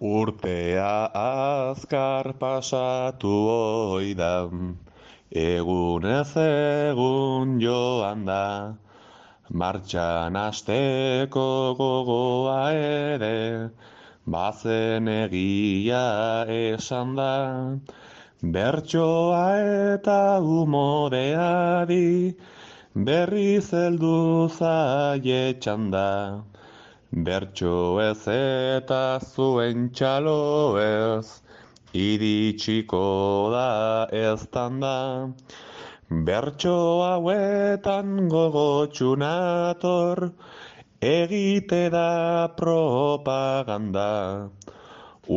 Urtea azkar pasatu oida, egunez egun joan da, martxan hasteko gogoa ere, bazen egia esan da, bertsoa eta umoreari, berriz heldu zaie txanda. Bertso ez eta zuen txalo ez, iritsiko da eztanda. Bertso hauetan gogotsu nator, egite da propaganda.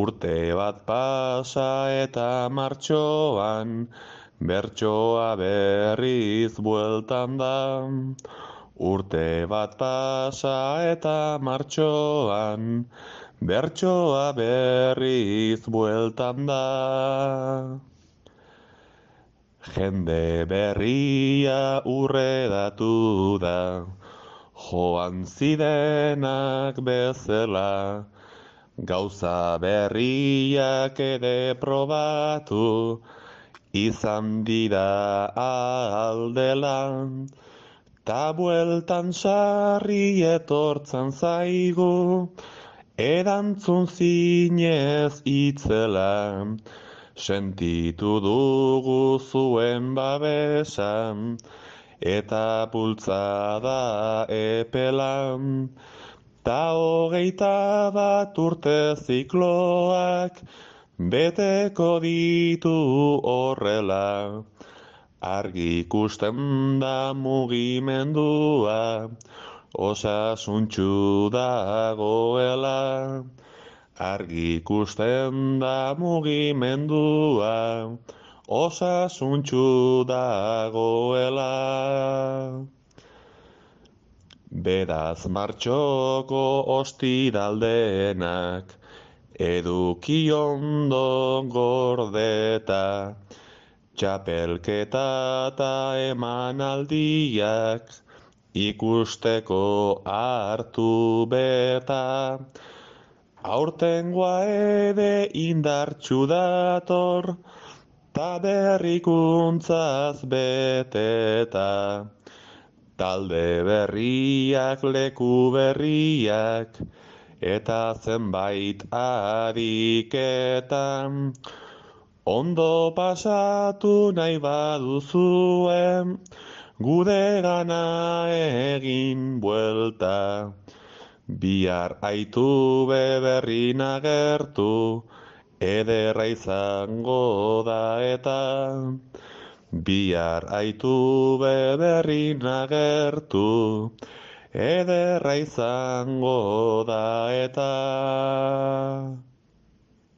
Urte bat pasa eta martxoan, bertsoa berriz bueltan da. Urte bat pasa eta martxoan, bertsoa berriz bueltan da. Jende berria urredatu da, joan zirenak bezala, gauza berriak ere probatu, izan dira aldela. Ta bueltan sarri etortzen zaigu, erantzun zinez itzela, sentitu dugu zuen babesan, eta bultzada epelan, ta 21 urte zikloak, beteko ditu horrela. Argi ikusten da mugimendua, osasuntxu dagoela. Argi ikusten da mugimendua, osasuntxu dagoela. Beraz martxoko ostiraldenak, eduki ondo gordeta, txapelketa eta emanaldiak ikusteko hartu beta. Aurtengoa ere indartsu dator, ta berrikuntzaz beteta. Talde berriak, leku berriak, eta zenbait ariketan. Ondo pasatu nahi baduzuen, gude gana egin buelta. Bihar aitu beberrin agertu, ederra izango da eta. Bihar aitu beberrin agertu, ederra izango da eta.